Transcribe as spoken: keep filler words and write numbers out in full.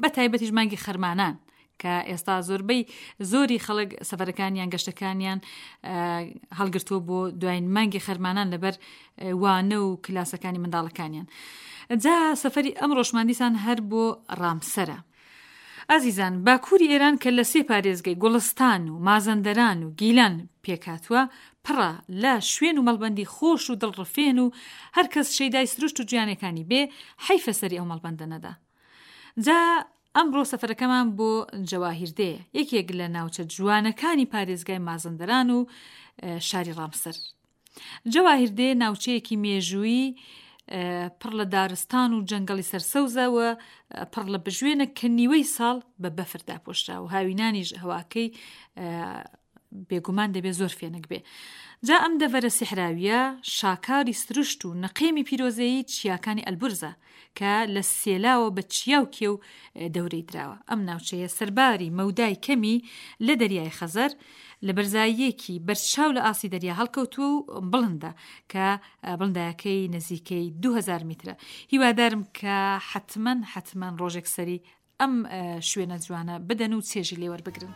بە تایبەتیش مانگی خەرمانان کە ئێستا زۆربەی زۆری خەڵک سەفەرەکانیان گەشتەکانیان هەڵگرتووە بۆ دوایین مانگی خەرمانان لەبەر وانە و کلاسەکانی منداڵەکانیان. جا سەفەری ئەمڕۆشمان دیسان هەر بۆ ڕامسەرە. ئازیزان باکووری ئێران کە لە سێ پارێزگەی گوڵستان و مازەندەران و گیلان پێکهاتووە پڕە لە شوێن و مەڵبەندی خۆش و دڵڕفێن و هەر کەس شەیدای سروشت و جوانیەکانی بێ حەیفە سەری ئەو مەڵبەندە نەدا. جا ئەمڕۆ سەفەرەکەمان بۆ جەواهیردێیە، یەکێک لە ناوچە جوانەکانی پارێزگای مازەندەران و شاری ڕامسەر. جەواهیردێ ناوچەیەکی مێژوویی پڕ لە دارستان و جەنگەڵی سەرسەوزە و پڕ لە بژوێنە کە نیوەی ساڵ بە بەفر داپۆشرا و هاوینانیش هەواکەی بێگومان دەبێ زۆر فێنک بێ. جا ئەم دەڤەرە سیحراوییە شاکاری سروشت و نەقێمی پیرۆزەیی چیاکانی ئەلبورزە کە لە سێلاوە بە چیا و کێو دەورەی دراوە. ئەم ناوچەیە سەرباری مەودای کەمی لە دەریای خەزەر، لە بەرزاییەکی بەرچاو لە ئاستی دەریا هەڵکەوتووە و بڵندە کە بڵندایەکەی نزیکەی دوو هەزار میترە. هیوادارم کە حەتمەن حەتمەن ڕۆژێک سەری ئەم شوێنە جوانە بدەن و چێژی لێوەربگرن.